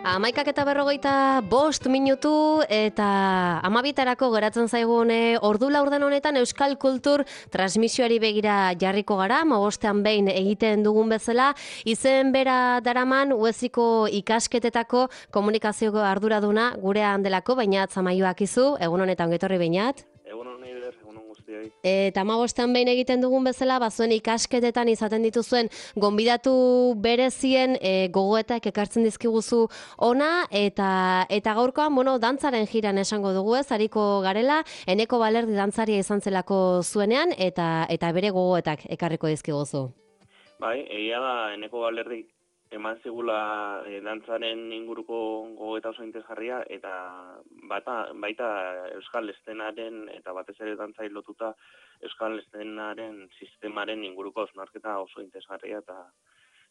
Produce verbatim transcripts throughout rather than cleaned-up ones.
Amaikak eta berrogeita bost minutu eta amabitarako geratzen zaigun ordu laurden honetan Euskal Kultur transmisioari begira jarriko gara, amabostean behin egiten dugun bezala, izen bera daraman ueziko ikasketetako komunikazioko arduraduna gurean delako, Beñat Zamaioak izu, egun honetan getorri Beñat. Egun honi eder, egun hon guztioi. Eta amabostean behin egiten dugun bezala, bazuen ikasketetan izaten dituzuen gonbidatu berezien e, gogoetak ekartzen dizkiguzu ona, eta eta gaurkoan, bueno, dantzaren jiran esango dugu ez, hariko garela, Eneko Balerdi dantzaria izan zelako zuenean, eta eta bere gogoetak ekarriko dizkiguzu. Bai, egia da Eneko Balerdi eman zigula e, dantzaren inguruko gogoeta oso interesgarria, eta bata, baita Euskal Eszenaren eta batez ere dantzai lotuta Euskal Eszenaren sistemaren inguruko osnarketa oso interesgarria, eta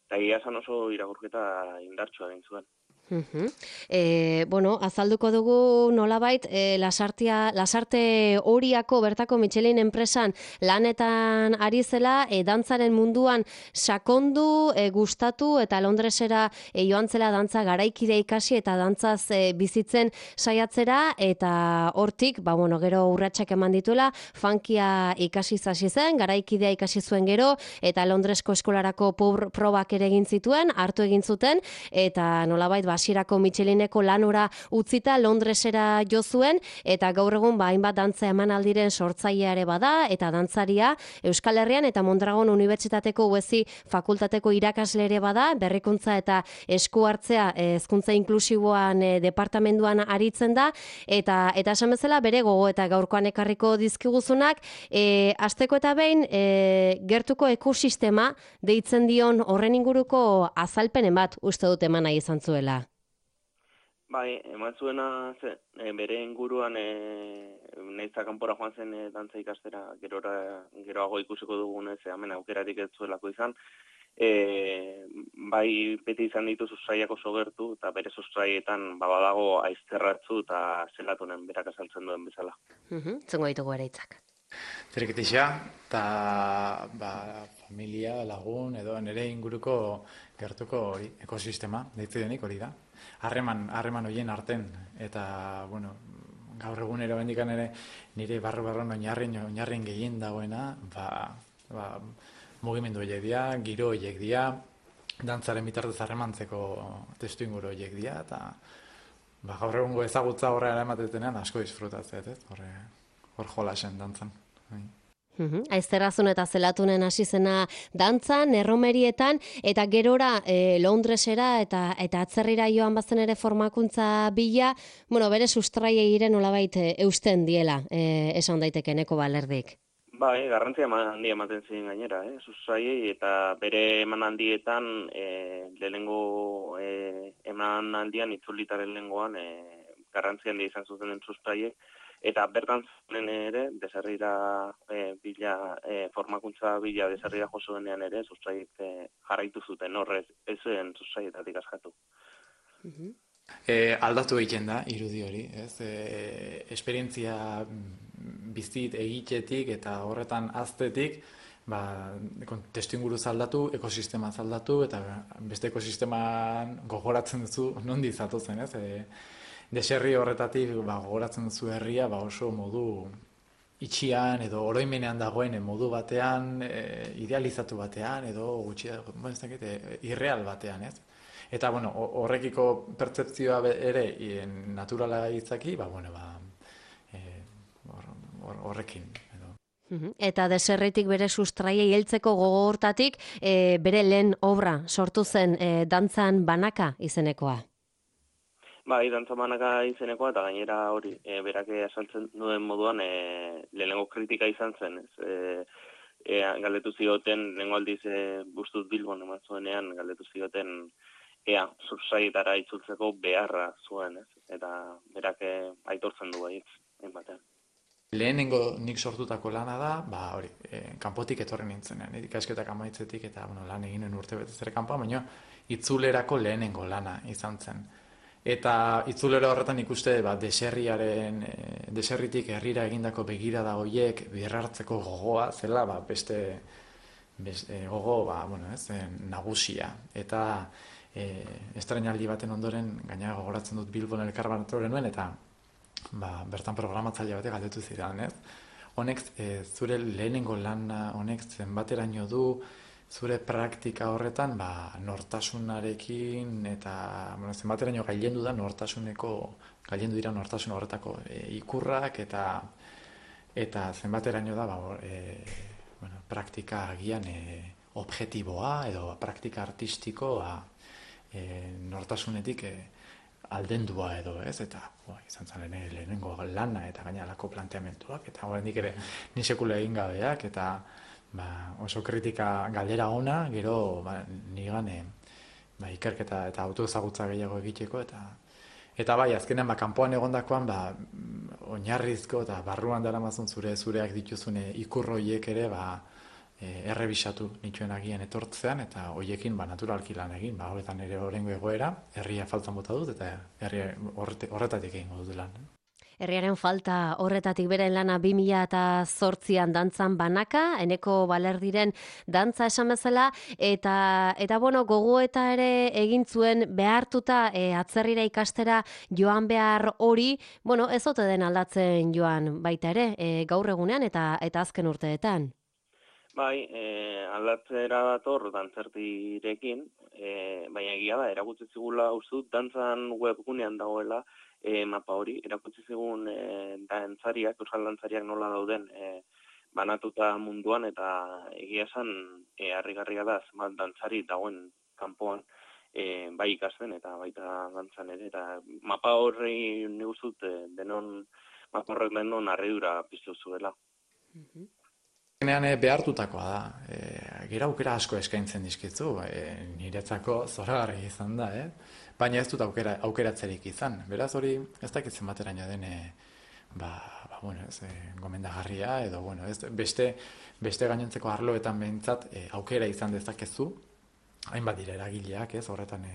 eta egia esan oso irakurketa indartsua egin zuen. Uh-huh. E, bueno, azalduko dugu nolabait e, lasartia, lasarte horiako bertako Michelin enpresan lanetan ari zela, e, dantzaren munduan sakondu, e, gustatu eta Londresera e, joan zela dantza garaikide ikasi eta dantzaz e, bizitzen saiatzera, eta hortik, ba, bueno, gero urratsak eman dituela, funkia ikasi hasi zen, garaikidea ikasi zuen gero, eta Londresko eskolarako probak ere egin zituen, hartu egin zuten, eta nolabait hasierako Michelineko lanora utzita Londresera jo zuen, eta gaur egun ba hainbat dantza emanaldiren sortzailea ere bada, eta dantzaria Euskal Herrian eta Mondragon Unibertsitateko Uezi fakultateko irakasle ere bada, berrikuntza eta esku hartzea hezkuntza inklusiboan e, departamenduan aritzen da, eta eta esan bezala bere gogo eta gaurkoan ekarriko dizkiguzunak, e, asteko eta behin e, gertuko ekosistema deitzen dion horren inguruko azalpenen bat uste dut eman nahi izan zuela. Bai, eman zuena ze, e, bere inguruan e, nahizta kanpora joan zen e, dantza ikastera, gerora, geroago ikusiko dugunez, e, hemen aukerarik ez zuelako izan, e, bai beti izan ditu sustraiak oso gertu, eta bere sustraietan babadago aizterratzu eta zelatunen berak azaltzen duen bezala. Uh-huh. Zengo ditugu ere hitzak. Zerikitixea, eta ba, familia, lagun, edo nire inguruko gertuko hori, ekosistema, deitze denik hori da. Harreman, harreman horien arten, eta, bueno, gaur egunero bendikan ere nire barro-barron oinarren, oinarren gehien dagoena, ba, ba, mugimendu horiek dira, giro horiek dira, dantzaren bitartez harremantzeko testu inguru horiek dira, eta ba, gaur egungo ezagutza horrean ematetenean asko disfrutatzea, ez? Horre, hor jolasen dantzan. Uhum. Aizterrazun eta zelatunen hasi zena dantzan, erromerietan, eta gerora e, Londresera eta eta atzerrira joan bazen ere formakuntza bila, bueno, bere sustraiei ire nolabait e, eusten diela, e, esan daiteke Eneko Balerdik. Bai, garrantzia handia ematen ziren gainera, eh? Sustraiei, eta bere emanaldietan e, lehenengo e, emanaldian itzulitaren lehengoan e, garrantzia handia izan zuten sustraiek, eta bertan zuen ere, deserrira e, bila, e, formakuntza bila deserrira josuenean ere, sustraiek e, jarraitu zuten, horrez, ez zuen sustraietatik askatu. Uh-huh. E, aldatu egiten da, irudi hori, ez? E, esperientzia bizit egitetik eta horretan aztetik, ba, testu inguruz aldatu, ekosistema aldatu, eta beste ekosisteman gogoratzen duzu nondi zatozen, ez? E, Deserri horretatik ba, gogoratzen duzu herria ba, oso modu itxian edo oroimenean dagoen modu batean, e, idealizatu batean edo gutxi, ba, ez dakit, e, irreal batean, ez? Eta bueno, horrekiko pertzepzioa ere e, naturala izaki, ba, bueno, ba, e, hor, hor, horrekin. Edo. Uh-huh. Eta deserritik bere sustraiei heltzeko gogo hortatik e, bere lehen obra sortu zen e, dantzan banaka izenekoa. Bai, dantza banaka izenekoa, eta gainera hori, e, berak asaltzen duen moduan, e, lehenengo kritika izan zen, ez? E, e, galdetu zioten, lehenengo aldiz e, Bustuz Bilbon eman zuenean, galdetu zioten, ea, sustraietara itzultzeko beharra zuen, ez? Eta berak e, aitortzen du baietz, batean. Lehenengo nik sortutako lana da, ba hori, e, kanpotik etorri nintzenean, ikasketak amaitzetik eta bueno, lan eginen urte betez ere kanpoan, baina itzulerako lehenengo lana izan zen. Eta itzulera horretan ikuste ba, deserriaren, e, deserritik herrira egindako begirada horiek berrartzeko gogoa zela ba, beste, beste gogo ba, bueno, ez, nagusia. Eta e, estrenaldi baten ondoren, gaina gogoratzen dut Bilbon elkarbanatu genuen, eta ba, bertan programatzaile batek galdetu zidan, ez? Honek, e, zure lehenengo lana, honek zenbateraino du, zure praktika horretan, ba, nortasunarekin, eta bueno, zenbateraino gailendu da nortasuneko, gailendu dira nortasun horretako e, ikurrak, eta eta zenbateraino da, ba, e, bueno, praktika agian e, objektiboa, edo praktika artistikoa e, nortasunetik e, aldendua edo, ez, eta bo, izan zen lehenengo lana eta gainalako planteamenduak, eta oraindik ere ni sekula egin gabeak, eta ba, oso kritika galdera ona, gero ba, nigan e, ba, ikerketa eta autoezagutza gehiago egiteko, eta eta bai, azkenean ba, kanpoan egondakoan ba, oinarrizko eta barruan daramazun zure zureak dituzune ikurroiek ere ba, e, errebisatu nituen agian etortzean, eta hoiekin ba, naturalki lan egin, ba, horretan ere horrengo egoera, herria faltan bota dut, eta herria horretatik egingo dut lan. Herriaren falta horretatik beren lana bi mila zortzian dantzan banaka, Eneko Balerdiren dantza esan bezala, eta, eta bueno, gogoeta ere egin zuen behartuta e, atzerrira ikastera joan behar hori, bueno, ez ote den aldatzen joan baita ere, e, gaur egunean eta eta azken urteetan. Bai, e, aldatzera dator dantzertirekin, e, baina egia da, erakutsi zigula uste dut dantzan webgunean dagoela, E, mapa hori, erakutsi zigun e, dantzariak, euskal dantzariak nola dauden e, banatuta munduan, eta egia esan e, harrigarria da zenbat dantzari dagoen kanpoan e, bai ikasten eta baita dantzan ere, eta mapa horri nik uste dut e, denon, mapa horrek denon harridura piztu zuela. Mhm. Genean e, behartutakoa da, e, gero aukera asko eskaintzen dizkizu, e, niretzako zoragarri izan da, eh? Baina ez dut aukera, aukeratzerik izan. Beraz hori ez dakit zenbateraino den e, ba, ba, bueno, ez, e, gomendagarria, edo bueno, ez, beste, beste gainontzeko arloetan behintzat e, aukera izan dezakezu, hainbat dira eragileak, ez, horretan e,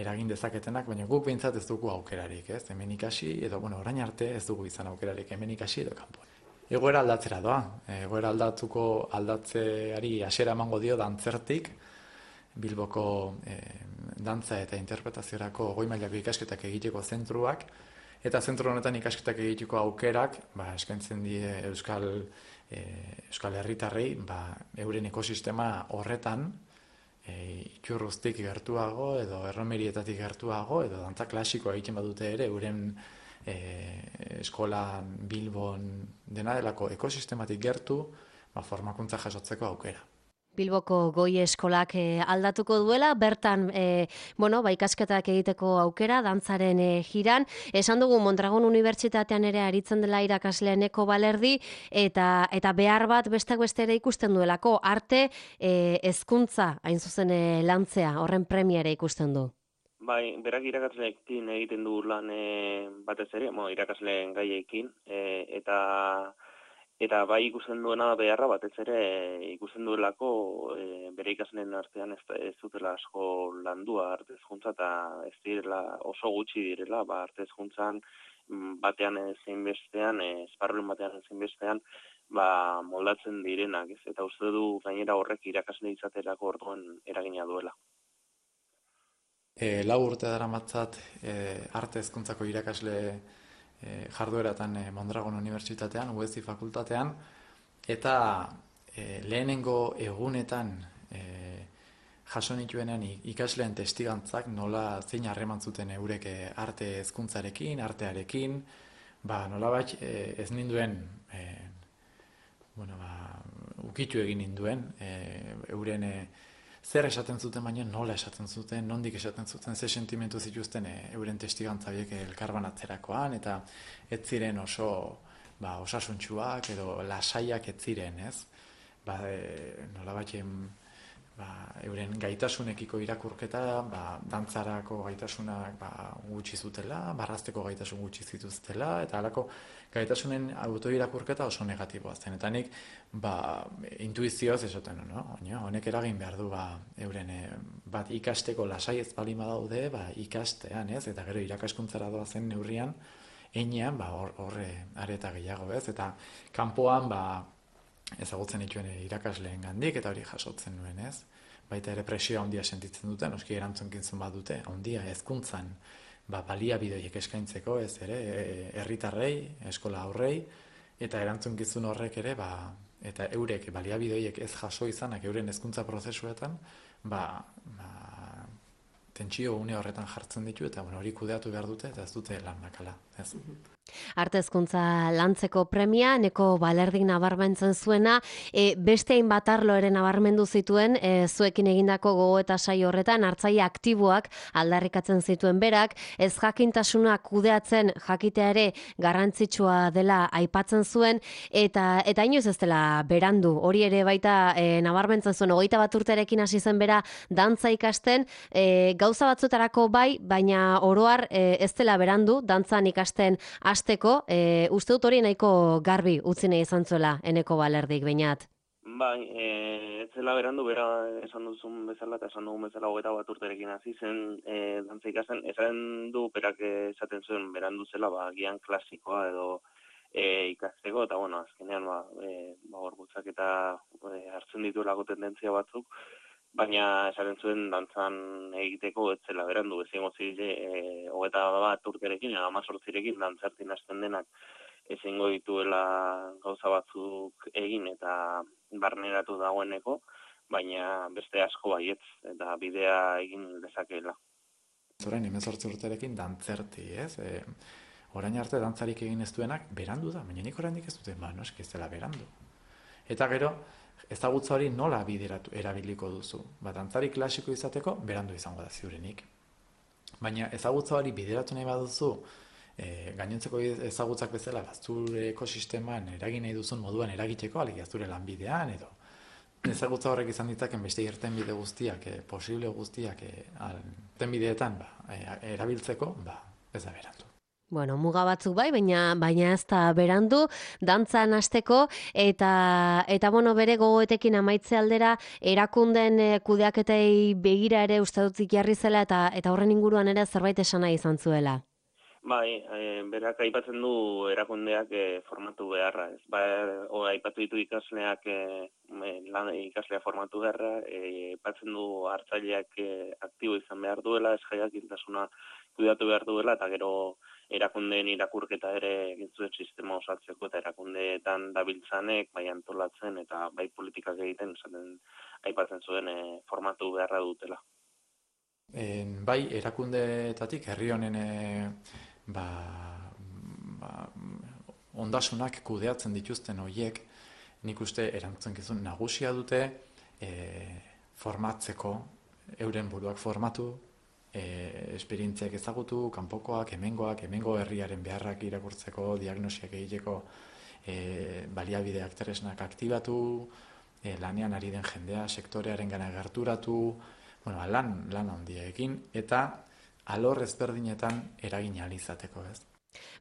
eragin dezaketenak, baina guk behintzat ez dugu aukerarik, ez, hemen ikasi, edo bueno, orain arte ez dugu izan aukerarik hemen ikasi edo kanpoan. Egoera aldatzera doa, egoera aldatuko aldatzeari hasiera emango dio dantzertik, Bilboko e, dantza eta interpretaziorako goi mailako ikasketak egiteko zentruak, eta zentru honetan ikasketak egiteko aukerak ba, eskaintzen die Euskal, e, Euskal Herritarrei ba, euren ekosistema horretan e, itxurruztik gertuago edo erromerietatik gertuago edo dantza klasikoa egiten badute ere euren e, eskolan Bilbon dena delako ekosistematik gertu ba, formakuntza jasotzeko aukera. Bilboko goi eskolak e, aldatuko duela, bertan e, bueno, ba, ikasketak egiteko aukera, dantzaren e, jiran. Esan dugu Mondragon Unibertsitatean ere aritzen dela irakasle Eneko Balerdi, eta, eta behar bat besteak beste ere ikusten duelako, arte e, hezkuntza hain zuzen e, lantzea, horren premiere ikusten du. Bai, berak irakasleekin egiten du lan e, batez ere, mo, irakasleen gaiekin, e, eta Eta bai ikusten duena beharra batez ere ikusten duelako e, bere ikasleen artean ez, ez dutela asko landua arte hezkuntza eta ez direla oso gutxi direla ba arte hezkuntzan batean zein bestean, esparruen batean zein bestean ba moldatzen direnak, ez? Eta uste du gainera horrek irakasle izaterako orduan eragina duela. E, lau urte daramatzat e, arte hezkuntzako irakasle E, jardueratan e, Mondragon Unibertsitatean, U E Z I fakultatean, eta e, lehenengo egunetan e, jaso nituenean ikasleen testigantzak nola zein harreman zuten eurek arte hezkuntzarekin, artearekin, ba nolabait e, ez ninduen e, bueno, ba, ukitu egin ninduen e, euren e, zer esaten zuten, baina nola esaten zuten, nondik esaten zuten, ze sentimentu zituzten e, euren testigantza horiek elkarbanatzerakoan, eta ez ziren oso ba, osasuntsuak edo lasaiak ez ziren, ez? Ba, e, nolabait ba, euren gaitasunekiko irakurketa, ba, dantzarako gaitasunak ba, gutxi zutela, barrazteko gaitasun gutxi zituztela, eta halako gaitasunen autoirakurketa oso negatiboa zen. Eta nik ba, intuizioz esaten, no? Honek eragin behar du ba, euren e, bat ikasteko lasai ez bali badaude, ba, ikastean, ez? Eta gero irakaskuntzara doazen neurrian, einean, ba, horre areta gehiago, ez? Eta kanpoan, ba, ezagutzen dituen irakasleen gandik, eta hori jasotzen nuen, ez? baita ere presioa handia sentitzen dute, noski erantzunkintzun bat dute, handia hezkuntzan, ba, baliabideak eskaintzeko, ez ere, herritarrei, eskola aurrei, eta erantzunkizun horrek ere, ba, eta eurek baliabideak ez jaso izanak euren hezkuntza prozesuetan, ba, ba, tentsio une horretan jartzen ditu, eta bueno, hori kudeatu behar dute, eta ez dute lan makala, ez. Arte hezkuntza lantzeko premia, Eneko Balerdik nabarmentzen zuena, e, beste hainbat arlo ere nabarmendu zituen, e, zuekin egindako gogo eta saio horretan, hartzaile aktiboak aldarrikatzen zituen berak, ez jakintasuna kudeatzen jakitea ere garrantzitsua dela aipatzen zuen, eta eta inoiz ez dela berandu, hori ere baita e, nabarmentzen zuen, hogeita bat urterekin hasi zen bera dantza ikasten, e, gauza batzuetarako bai, baina oroar e, ez dela berandu, dantzan ikasten hasteko, e, uste dut hori nahiko garbi utzi nahi izan zuela Eneko Balerdik, Beñat. Bai, e, ez zela berandu, bera esan duzun bezala, eta esan dugun bezala hogeita bat urterekin hasi zen e, dantza ikasten, esan du berak esaten zuen berandu zela, ba, gian klasikoa edo e, ikasteko, eta bueno, azkenean, ba, e, ba, gorputzak eta e, hartzen dituelako tendentzia batzuk, baina esaten zuen dantzan egiteko ez zela berandu, ezingo zile e, hogeita bat urterekin, amazortzirekin dantzartin hasten denak ezingo dituela gauza batzuk egin eta barneratu dagoeneko, baina beste asko baietz, eta bidea egin dezakeela. Orain hemezortzi urterekin dantzerti, ez? E, orain arte dantzarik egin ez duenak berandu da, baina nik oraindik ez dute, ba, no, eski ez dela berandu. Eta gero, ezagutza hori nola bideratu erabiliko duzu. Ba, dantzari klasiko izateko, berandu izango da ziurenik. Baina ezagutza hori bideratu nahi baduzu, e, gainontzeko ezagutzak bezala, ba, zure ekosisteman eragin nahi duzun moduan eragiteko, alegia zure lanbidean, edo ezagutza horrek izan ditzaken beste irtenbide guztiak, e, posible guztiak, e, irtenbideetan ba, e, erabiltzeko, ba, ez da berandu. Bueno, muga batzuk bai, baina baina ez da berandu, dantzan hasteko eta eta bueno, bere gogoetekin amaitze aldera erakunden e, kudeaketei begira ere uste dut jarri zela eta eta horren inguruan ere zerbait esan nahi izan zuela. Bai, e, berak aipatzen du erakundeak e, formatu beharra, ez. Ba, o, aipatu ditu ikasleak e, lan ikaslea formatu beharra, e, aipatzen du hartzaileak e, aktibo izan behar duela, esjaiakintasuna kudeatu behar duela, eta gero erakundeen irakurketa ere egin zuen sistema osatzeko eta erakundeetan dabiltzanek, bai antolatzen eta bai politikak egiten, esaten aipatzen zuen e, formatu beharra dutela. En, bai, erakundeetatik herri honen e, ba, ba, ondasunak kudeatzen dituzten horiek, nik uste erantzunkizun nagusia dute e, formatzeko, euren buruak formatu, e, esperientziak ezagutu, kanpokoak, hemengoak, hemengo herriaren beharrak irakurtzeko, diagnosiak egiteko, e, baliabideak tresnak aktibatu, e, lanean ari den jendea, sektorearen gana gerturatu, bueno, lan, lan handiekin, eta alor ezberdinetan eragin ahal izateko, ez?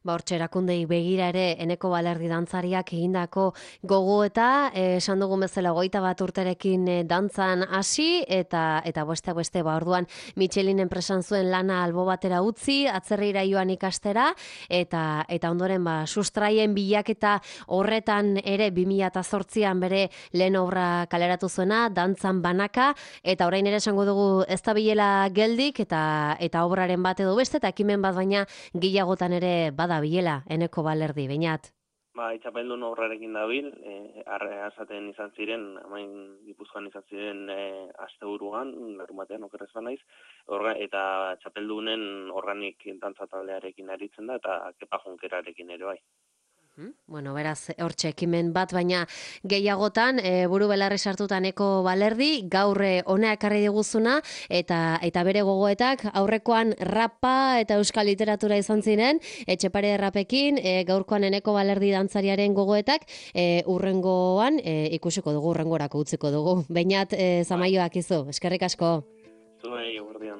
Ba, hortxe erakundei begira ere Eneko Balerdi dantzariak egindako gogoeta, eh, esan dugun bezala hogeita bat urterekin eh, dantzan hasi, eta eta beste beste ba orduan Michelin enpresan zuen lana albo batera utzi, atzerrira joan ikastera, eta eta ondoren ba sustraien bilaketa horretan ere bi mila zortzian bere lehen obra kaleratu zuena, dantzan banaka, eta orain ere esango dugu ez da bilela geldik, eta eta obraren bat edo beste, eta ekimen bat baina gehiagotan ere bada bilela, Eneko Balerdi, Beñat. Ba, txapeldun obrarekin dabil, e, arre azaten izan ziren, amain Gipuzkoan izan ziren e, asteburuan, larumatean okerrez banaiz, orga, eta txapeldunen organik dantza taldearekin aritzen da, eta Kepa Junkerarekin ere bai. Bueno, beraz, hortxe ekimen bat, baina gehiagotan, e, buru belarri sartuta Eneko Balerdi, gaur hona ekarri diguzuna, eta eta bere gogoetak aurrekoan rapa eta euskal literatura izan ziren, Etxepare rapekin, e, gaurkoan Eneko Balerdi dantzariaren gogoetak, e, urrengoan, e, ikusiko dugu, urrengorako utziko dugu. Beñat, e, zamaioak izu, eskerrik asko. Zuei, guardian.